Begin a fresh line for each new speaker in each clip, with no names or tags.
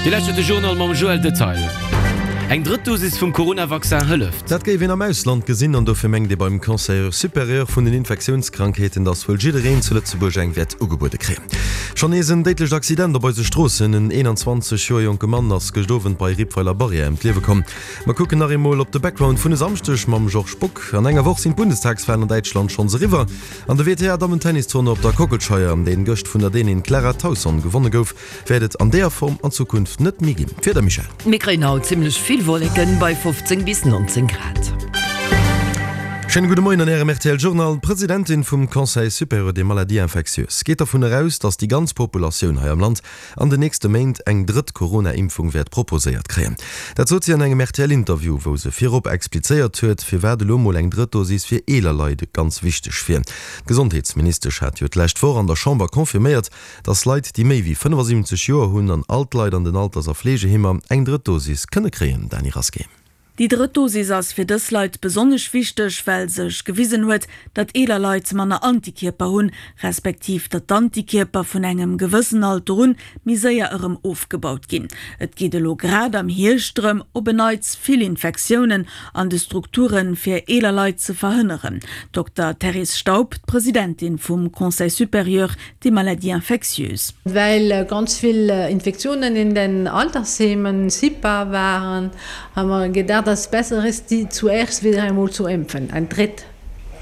Dir lauschtert de Journal mam Joël Detaille. Eng drëtt Dosis vum Corona-Vaccin hëlleft.
Dat géif een am Ausland gesinn an dofir mengt ee beim Conseil supérieur vun den Infektiounskrankheeten, datt wuel jiddereen zu Lëtzebuerg eng wäert ugebuede kréien. Schonn nees en déidlecht Accident op eise Stroossen, En 21 Joer jonke Mann ass gëscht Owend bei Rippweiler Barrière ëm d'Liewe komm. Mer kucken nach eemol op de Background vun e Samschdeg mam Georges Bock. An enger Woch sinn d'Bundestagswalen an Däitschland schonns eriwwer an de WTA-Dammen-Tennistournoi op der Kockelscheier, deen gëscht vun der Dänin Clara Tauson gewonne gouf, wäert et an deeër Form an Zukunft net méi ginn. D'Wieder, Michèle?
Mir kréien haut zimmlech vill Wolleken bei 15 bis 19 Grad.
Schéine gudde Moien an Ärem rtl Journal. D'Presidentin vum Conseil supérieur des maladies infectieuses geet dervun eraus, datt déi ganz Populatioun hei am Land an den nächste Méint eng drëtt Corona-Impfung wäert proposéiert kréien. Dat sot si an engem RTL-Interview, wou se virop explizéiert huet, firwat elo mol eng drëtt Dosis fir eeler Leit ganz wichteg wier. D'Gesondheetsministesch hat jo d'lescht Woch an der Chamber confirméiert, datt Leit, déi méi wéi 75 Joer hunn an all d'Leit an den Alters a Fleegeheemer eng drëtt Dosis kënne kréien. Dany Rasqué.
Déi drëtt Dosis ass fir dës Leit besonnesch wichteg, well sech gewisen huet, datt eeler Leit manner Antikierper hunn, respektiv datt d'Antikierper vun engem gewëssen Alter un méi séier erëm ofgebaut ginn. Et geet elo grad am Hierscht drëm, op en Neits vill Infektiounen an de Strukture fir eeler Leit ze verhënneren. Dokter Therese Staub, d'Presidentin vum Conseil supérieur des maladies infectieuses.
Well ganz vill Infektiounen in den Altersheimen sichtbar waren, haben wir gedacht, dass es besser ist, die zuerst wieder einmal zu impfen, eng drëtt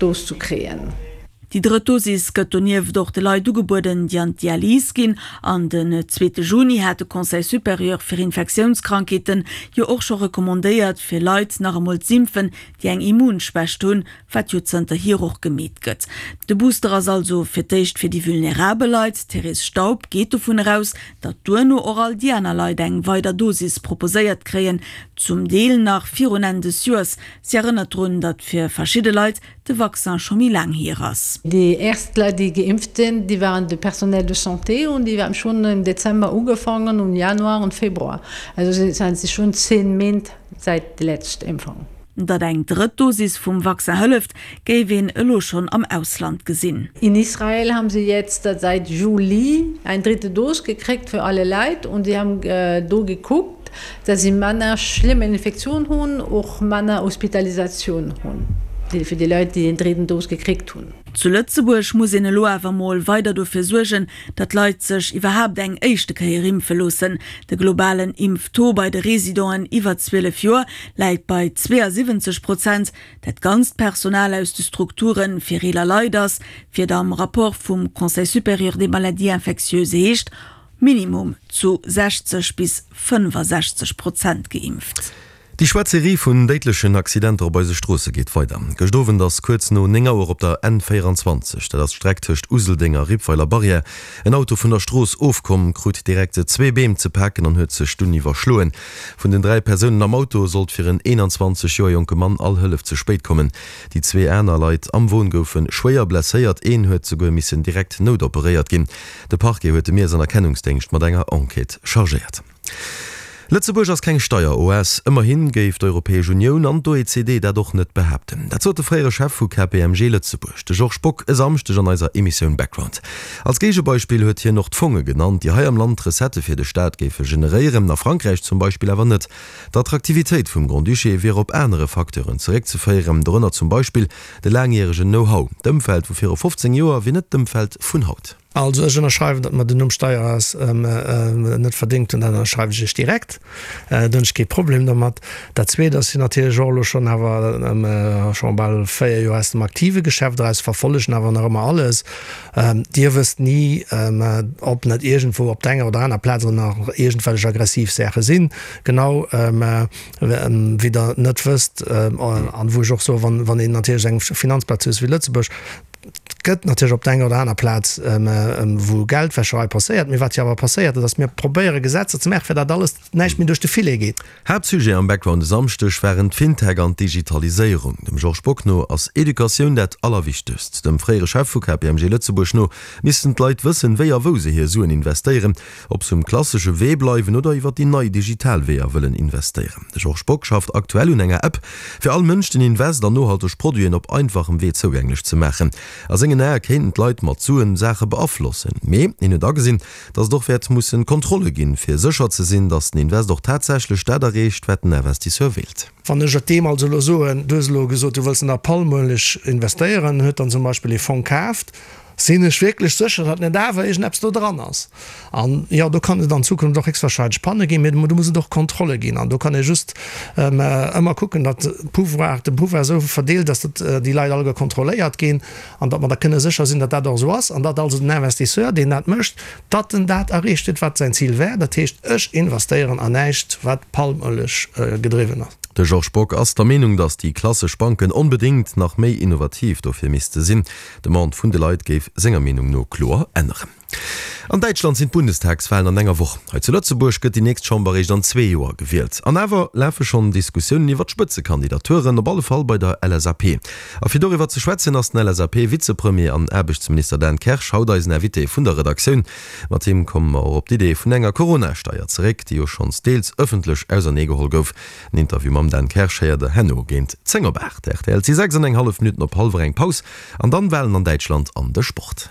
Dos zu kréien.
Déi drëtt Dosis gëtt donieft och de Leit ugebueden, déi an d'Dialys ginn. An den zweete Juni hat de Conseil supérieur fir Infektiounskrankheeten jo och scho recommandéiert, fir Leit nach emol z'impfen, déi eng Immunschwächt hunn, wat jo zënterhier och gemeet gëtt. De Booster ass also fir d'éischt fir déi vulnerabel Leit. D'Therese Staub geet dovun eraus, datt duerno och all déi aner Leit eng weider Dosis proposéiert kréien, zum Deel nach virun Enn des Joers. Si erënnert drun, datt fir verschidde Leit de Vaccin scho méi laang hier ass.
Déi erst Leit, déi geimpft sinn, déi waren de Personnel de santé und déi haben schon im Dezember ugefangen und Januar und Februar. Also sind si schon 10 Méint säit déi lescht Impfung.
Datt eng drëtt Dosis vum Vaccin hëlleft, géif een elo schonn am Ausland gesinn.
In Israel haben sie jetzt seit Juli eng dritte Dose gekriegt für alle Leit und sie haben do gekuckt, dass sie manner schlimm Infektion hunn, och manner Hospitalisation hunn, fir déi Leit, déi eng dritten Dose gekriegt hunn.
Zu Lëtzebuerg muss een elo awer mol weider dofir suergen, datt d'Leit sech iwwerhaapt eng éischte Kéier impfe loossen. De globalen Impftaux bei de Residenten iwwer 12 Joer läit bei 72 Prozent. Dat ganzt Personal aus de Strukture fir eeler Leit ass, wéi et am Rapport vum Conseil supérieur des maladies infectieuses heescht, minimum zu 60 bis 65 Prozent geimpft.
Déi schwaarz Serie vun déidlechen Accidenter op eise Stroosse geet weider. Gëscht Owend ass kuerz no 9 Auer op der N 24, dat ass d'Streck tëscht Useldeng a Rippweiler Barrière, en Auto vun der Strooss ofkomm, krut direkt zwee Beem ze paken an huet sech dunn iwwerschloen. Vun den 3 Persounen am Auto sollt fir en 21 Joer jonke Mann all Hëllef ze spéit kommen. Déi zwee aner Leit am Won goufe schwéier blesséiert, een huet souguer missen direkt noutoperéiert ginn. De Parquet huet de Miess an Erkennungsdéngscht mat enger Enquête chargéiert. Lëtzebuerg ass keng Steieroas. Ëmmerhi géif d'Europäesch Unioun an d'OECD dat och net behaapten. Dat sot de fréiere Chef vu KPMG Lëtzebuerg, de Georges Bock, e Samschdeg an eiser Emissioun Background. Als Géigebeispill huet hien och d'Fonge genannt, déi hei am Land Recettë fir de Staat géife generéieren, a Frankräich zum Beispill awer net. D'Attraktivitéit vum Grand-Duché wier op anere Facteuren zeréckzeféieren, dorënner zum Beispill de laangjäregen Know-how. D'Ëmfeld vu viru 15 Joer wier net d'Ëmfeld vun haut.
Also ech ënnerschreiwen, datt mer den Numm Steieras net verdéngt hunn, dat ënnerschreiwen ech Iech direkt. Do hunn ech kee Problem domat. Dat Zweet ass, sinn natierlech och elo schonn awer scho bal 4 Joer aus dem aktive Geschäft eraus, verfollegen awer nach ëmmer alles. Dir wësst ni, ob net iergendwou op der enger oder aner Plaz och nach iergendwellech aggressiv Saache sinn. Genau wéi Der net wësst, an wou ech och soen, wann een natierlech eng Finanzplaz huet wéi Lëtzebuerg, Et gëtt natierlech op der enger oder aner Plaz, wou Geldwäscherei passéiert. Mee wat jo awer passéiert, dat ass, mir probéiere Gesetzer ze maachen, fir datt alles näischt méi duerch de Filet geet.
Haaptsujet am Background e Samschdeg waren d'Fintech an d'Digitaliséierung. Dem Georges Bock no ass Educatioun dat Allerwichtegst. Dem fréiere Chef vu KPMG Lëtzebuerg no missten d'Leit wëssen, wéi a wou se hir Suen investéieren, ob se um klassesche Wee bleiwen oder iwwer déi nei digital Weeër wëllen investéieren. De Georges Bock schafft aktuell un enger App, fir all Mënsch den Invest an nohalteg Produiten op einfachem Wee zougänglech ze maachen. A sengen Ae kéinten d'Leit mat Suen Saache beaflossen. Mee hien huet agesinn, datt et och wäert mussen Kontrolle ginn, fir sécher ze sinn, datt den Invest och tatsächlech dat erreecht, wat den Investisseur wéilt.
Wann ech et deem also elo soen, du hues elo gesot, du wëlls an der Palmueleg investéieren, en huet dann zum Beispill ee Fong kaaft, sinn ech wierklech sécher, datt net awer iergendeppes do dran ass. An jo, do kann et an Zukunft och héchstwahrscheinlech Panne ginn, mee do muss et och Kontrolle ginn. An do kann ee just ëmmer kucken, datt Pouvoir, de Pouvoir esou verdeelt ass, datt déi Leit alleguer kontrolléiert ginn an datt mer da kënne sécher sinn, datt dat och esou ass an datt also den Investisseur, deen dat mécht, datt en dat erreecht huet, wat säin Zil war, dat heescht, ech investéieren an näischt, wat Palmëlech gedriwwen ass.
De Georges Bock ass der Meenung, datt déi klassesch Banken onbedéngt nach méi innovativ dofir misste sinn. D'Demande vun de Leit géif senger Meenung no kloer änneren. An Däitschland sinn d'Bundestagswalen an enger Woch. Hei zu Lëtzebuerg gëtt déi nächst Chamber eréischt an zwee Joer gewielt. An awer lafe schonn Diskussiounen iwwer d'Spëtzekandidaturen, op alle Fall bei der LSAP. A fir doriwwer ze schwätzen ass den LSAP-Vizepremier an Aarbechtsminister Dan Kersch haut eisen Invité vun der Redaktioun. Mat him komme mer och op d'Idee vun enger Corona-Steier zeréck, déi jo schonns deels ëffentlech auserneegeholl gouf. En Interview mam Dan Kersch héiert der herno géint 10 op 8. Rtl, Et si 6 an eng hallef Minutten op hallwer eng. Paus an dann Walen an Däitschland an de Sport.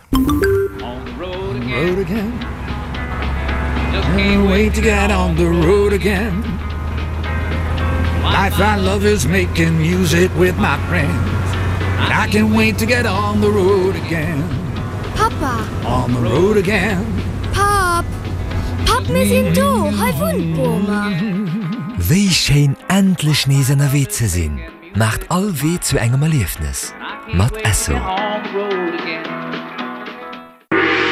Pappa! Papp! Papp, mir sinn do! Hei wunnt d'Boma!
Wéi schéin endlech nees ënnerwee ze sinn! Maacht all Wee zu engem Erliefnes mat Esso.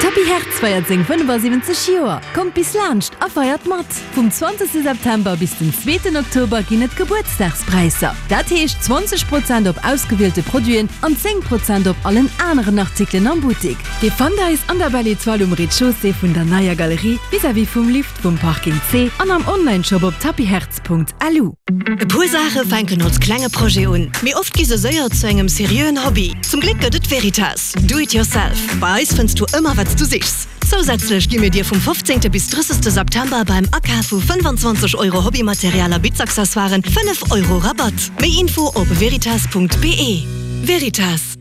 Tapis Hertz feiert seng 75 Joer! Kommt bis laanscht a feiert mat! Vum 20 September bis den zweeten Oktober ginn et Gebuertsdagspräisser. Dat heescht 20 Prozent op ausgewielte Produiten an 10 Prozent op allen aneren Artikelen am Buttik. Dir fannt eis an der Belle Etoile um Rez-de-chaussée vun der neier Galerie, vis-à-vis vum Lift vum Parking C an am Onlineshop op tapishertz.lu.
E puer Saache fänken als klenge Projet un, mee oft gi se séier zu engem seriöen Hobby. Zum Gléck gëtt et Veritas, Do it yourself. Bei eis fënns du ëmmer wat s du sichs. Zousätzlech gi mir dir vum 15. bis 30. September beim Akaf vu 25 Euro Hobbymaterial a Bitzaccessoiren 5 Euro Rabatt. Méi Info op veritas.be. Veritas.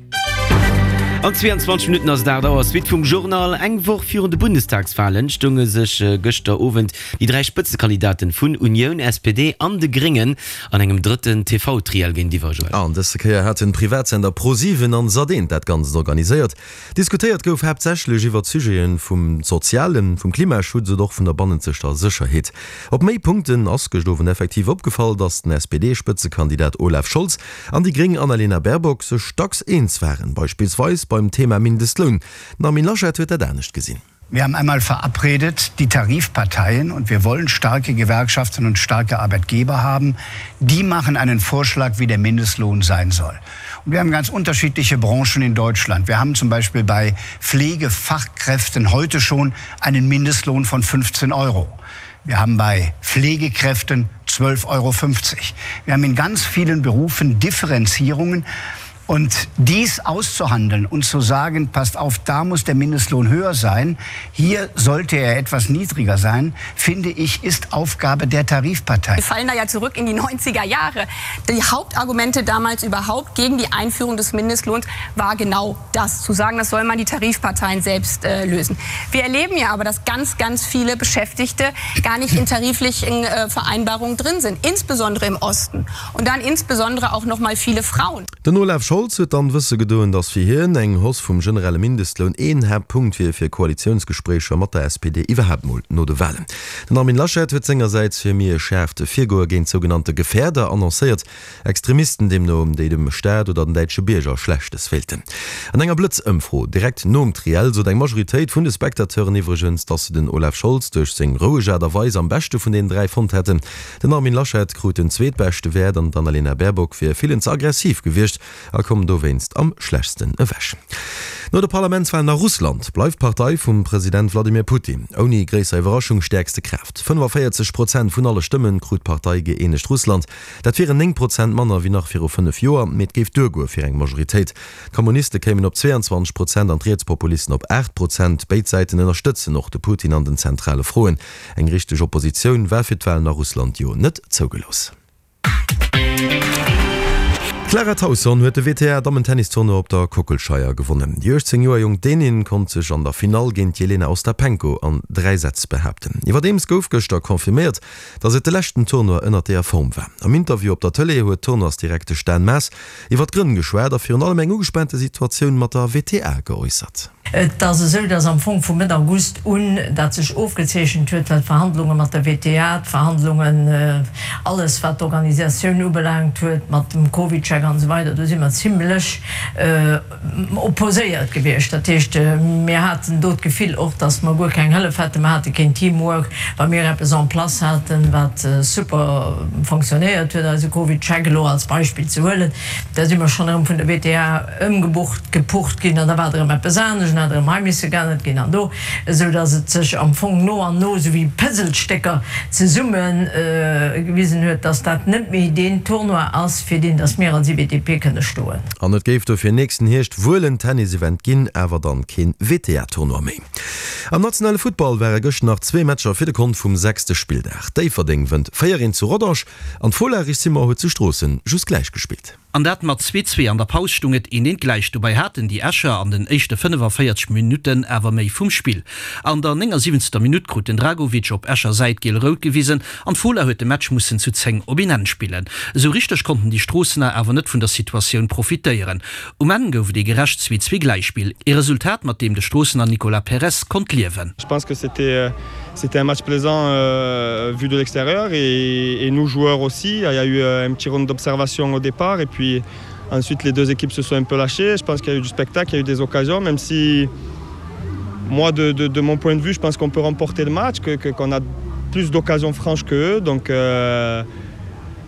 An 22 Minutten ass et 8 Auer. Suite vum Journal. Eng Woch virun de Bundestagswalen stounge sech gëschter Owend déi 3 Spëtzekandidaten vun Unioun, SPD an de Gréngen an engem drëtten TV-Triell géintiwwer. Joël.
An dësse Kéier haten d'Privatsender ProSieben an Sat1 dat Ganzt organiséiert. Diskutéiert gouf haaptsächlech iwwert Sujete vum Sozialen, vum Klimaschutz oder och vun der bannenzegter Sécherheet. Op méi Punkten ass gëscht Owend effektiv opgefall, datt den SPD-Spëtzekandidat Olaf Scholz an déi gréng Annalena Baerbock sech dacks eens waren, beispillsweis beim Thema Mindestloun. Den Armin Laschet huet dat anescht gesinn.
Wir haben einmal verabredet, die Tarifparteien, und wir wollen starke Gewerkschaften und starke Arbeitgeber haben, die machen einen Vorschlag, wie der Mindestlohn sein soll. Und wir haben ganz unterschiedliche Branchen in Deutschland. Wir haben zum Beispiel bei Pflegefachkräften heute schon einen Mindestlohn von 15 Euro. Wir haben bei Pflegekräften 12,50 Euro. Wir haben in ganz vielen Berufen Differenzierungen. Und dies auszuhandeln und zu sagen, passt auf, da muss der Mindestlohn höher sein, hier sollte er etwas niedriger sein, finde ich, ist Aufgabe der Tarifpartei.
Wir fallen da ja zurück in die 90er Jahre. Die Hauptargumente damals überhaupt gegen die Einführung des Mindestlohns war genau das, zu sagen, das soll man die Tarifparteien selbst äh, lösen. Wir erleben ja aber, dass ganz, ganz viele Beschäftigte gar nicht in tariflichen äh, Vereinbarungen drin sind, insbesondere im Osten und dann insbesondere auch noch mal viele Frauen.
Den Olaf Scholz huet dann wësse gedoen, datt fir hien eng Hausse vum generelle Mindestloun een Haaptpunkt wier fir Koalitiounsgespréicher mat der SPD iwwerhaapt mol no de Walen. Den Armin Laschet huet sengersäits fir méi e schaarft Virgoe géint sougenannte Gefährder annoncéiert, Extremisten deemno, déi dem Staat oder den däitsche Bierger Schlechtes wéilten. An enger Blëtz-Ëmfro direkt nom Triell sot eng Majoritéit vun de Spectateuren iwwregens, datt se den Olaf Scholz duerch seng roueg Aart a Weis am beschte vun den 3 fonnt hätten. Den Armin Laschet krut den zweetbeschte Wäert an d'Annalena Baerbock wier villen ze aggressiv gewiescht a koum dowéinst am schlechtsten ewech. No de Parlamentswalen a Russland bleift d'Partei vum President Wladimir Putin ouni gréisser Iwwerraschung stäerkste Kraaft. 45 Prozent vun alle Stëmme krut d'Partei Gëeenegt Russland. Dat wieren 9 Prozent manner wéi nach viru 5 Joer, mee et géif duergoe fir eng Majoritéit. D'Kommuniste kéimen op 22 Prozent an d'Rietspopulisten op 8 Prozent. Béid Säiten ënnerstëtzen och de Putin an den zentrale Froen. Eng richteg Oppositioun war fir d'Walen a Russland jo net zougelooss. D'Clara Tauson huet de WTA-Dammen-Tennis-Tournoi op der Kockelscheier gewonnen. Déi 18 Joer jonk Dänin konnt sech an der Finall géint d'Jelena Ostapenko an 3 Sätz behaapten. Iwwerdeems gouf gëschter confirméiert, datt et de leschten Tournoi ënnert deeër Form war. Am Interview op der Tëlee huet d'Tournoisdirektesch Dan Maas iwwer d'Grënn geschwat a virun allem eng ugespaante Situatioun mat der WTA geäussert.
Et ass esou, datt am Fong vu Mëtt August un dat sech ofgezeechent huet, well d'Verhandlunge mat der WTA, d'Verhandlungen, alles wat d'Organisatioun ubelaangt huet, mat dem CovidCheck an esou weider, do si mer zimlech opposéiert gewiescht. Dat heescht, mir haten do d'Gefill och, datt mer guer keng Hëllef hätten. Mer hate keen Teamwork. Wa mir eppes en place haten, wat super fonctionnéiert huet, eise CovidCheck elo als Beispill ze huelen, da si mer schonn erëm vun der WTA, ëmgebucht, gepucht ginn an da war et erëm eppes anescht an hat erëm hei misse geännert ginn an do, esou datt et sech am Fong no an no esou wéi Puzzlestécker zesumme gewisen huet, datt dat net méi deen Tournoi ass, fir deen datt mir als IWTP kënne stoen.
An et géif dofir nächsten Hierscht wuel en Tennis-Event ginn, awer dann keen WTA-Tournoi méi. Am nationale Futtball ware gëscht nach zwee Matcher fir de Kont vum sechste Spilldag. Déifferdeng wënnt 4, 1 zu Rodange an d'Fola Richsimer huet zu Stroossen just gläich gespillt.
An dat mat zwee zwee. An der Paus stung et een eent gläich. Dobäi haten déi Escher an den éischte 45 Minutten awer méi vum Spill. An der 79. Minutt krut den Dragovic op Escher Säit giel-rout gewisen an d'Fola huet de Match mussen zu 10 op een Enn spillen. Esou richteg konnten déi Stroossener awer net vun der Situatioun profitéieren. Um Enn gouf et ee gerecht zwee zwee Gläichspill, ee Resultat mat deem de Stroossener Nicolas Perez konnt liewen.
Je pense que c'était c'était un match plaisant euh, vu de l'extérieur et, et nous joueurs aussi. Il y a eu euh, un petit round d'observation au départ et puis ensuite les deux équipes se sont un peu lâchées. Je pense qu'il y a eu du spectacle, il y a eu des occasions, même si moi de, de, de mon point de vue, je pense qu'on peut remporter le match, que, que, qu'on a plus d'occasions franches que eux. Donc euh,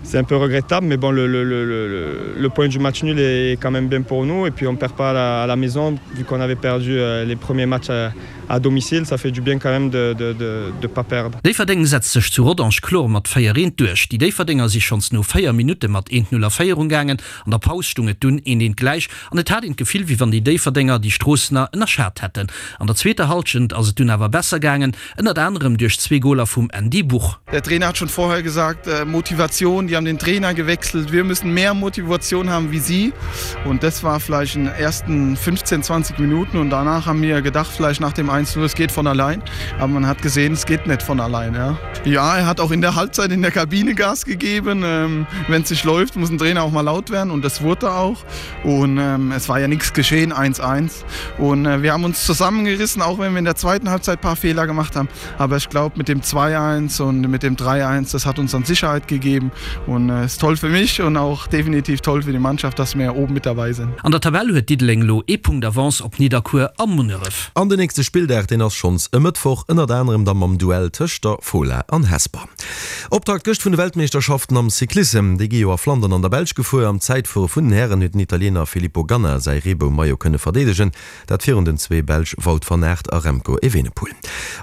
c'est un peu regrettable mais bon le, le, le, le, le point du match nul est quand même bien pour nous et puis on perd pas à la, à la maison vu qu'on avait perdu euh, les premiers matchs à, à domicile ça fait du bien quand même de, de, de, de pas perdre.
Déifferdeng setzt sech zu Rodange kloer mat 4, 1 duerch. Déi Déifferdenger si schonns no 4 Minutte mat 1, 0 a Féierung gaangen. An der Paus stung et dunn 1, 1 gläich an et hat een d'Gefill wéi wann déi Déifferdenger déi Stroossener ënnerschat hätten. An der zweeter Hallschent ass et dunn awer besser gaangen, ënnert anerem duerch zwee Goler vum Andy Buch.
Der Trainer hat schon vorher gesagt, Motivation, die haben den Trainer gewechselt, wir müssen mehr Motivation haben wie sie. Und das war vielleicht in den ersten 15, 20 Minuten und danach haben wir gedacht, vielleicht nach dem 1-0, es geht von allein. Aber man hat gesehen, es geht nicht von allein. Ja, ja er hat auch in der Halbzeit in der Kabine Gas gegeben. Ähm, Wenn es nicht läuft, muss ein Trainer auch mal laut werden und das wurde auch. Und ähm, es war ja nichts geschehen, 1-1. Und äh, wir haben uns zusammengerissen, auch wenn wir in der zweiten Halbzeit ein paar Fehler gemacht haben. Aber ich glaube, mit dem 2-1 und mit dem 3-1, das hat uns dann Sicherheit gegeben und äh, ist toll für mich und auch definitiv toll für die Mannschaft, dass wir oben mit dabei sind.
An der Tabell huet Diddeleng elo ee Punkt Avance op Nidderkuer a Munneref.
An den nächste Spilldag, deen ass schonns e Mëttwoch, ënnert anerem da mam Duell tëscht der Fola an Hesper. Optakt gëscht vun de Weltmeeschterschaften am Cyclissem, déi gi jo a Flandern an der Belsch gefuer. Am Zäitfuere vun den Hären huet den Italiener Filippo Ganna säi Reebou-Maillot kënne verdeedegen, dat virun den zwee Belsch Wout van Aert a Remco Evenepoel.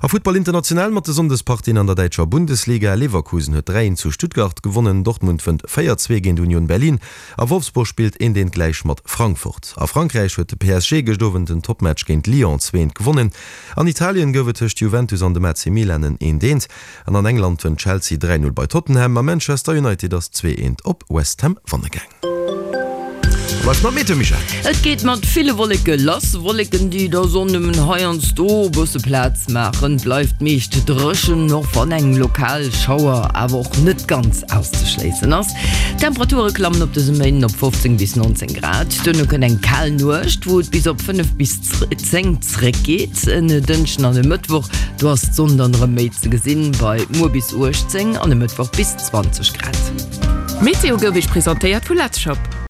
A Futtball international mat de Sonndespartien an der däitscher Bundesliga, Leverkusen huet 3, 1 zu Stuttgart gewonnen, Dortmund wënnt 4, 2 géint Union Berlin a Wolfsburg spillt 1, 1 gläich mat Frankfurt. A Frankräich huet de PSG gëscht Owend den Toppmatch géint Lyon 2, 1 gewonnen. An Italien gouf et tëscht Juventus an dem AC Milan en 1, 1. An an England wënnt Chelsea 3, 0 bei Tottenham a Manchester United ass 2, 1 op West Ham wanne gaang. Bleift mam Meteo, Michèle.
Et geet mat ville Wolleke lass, Wolleken déi der Sonn nëmmen heiansdo e bësse Plaz maachen. Bleift meescht dréchen, och wann eng lokal Schauer awer och net ganz auszeschléissen ass. D'Temperature klammen op dësem Méinden op 15 bis 19 Grad. Duerno kënnt eng kal Nuecht, wou et bis op 5 bis 10 zréckgeet. En Dënschden an e Mëttwoch, do ass d'Sonn dann erëm méi ze gesinn, bei muer bis 18 an e Mëttwoch bis 20 Grad.
D'Meteo gouf Iech presentéiert vu Letzshop.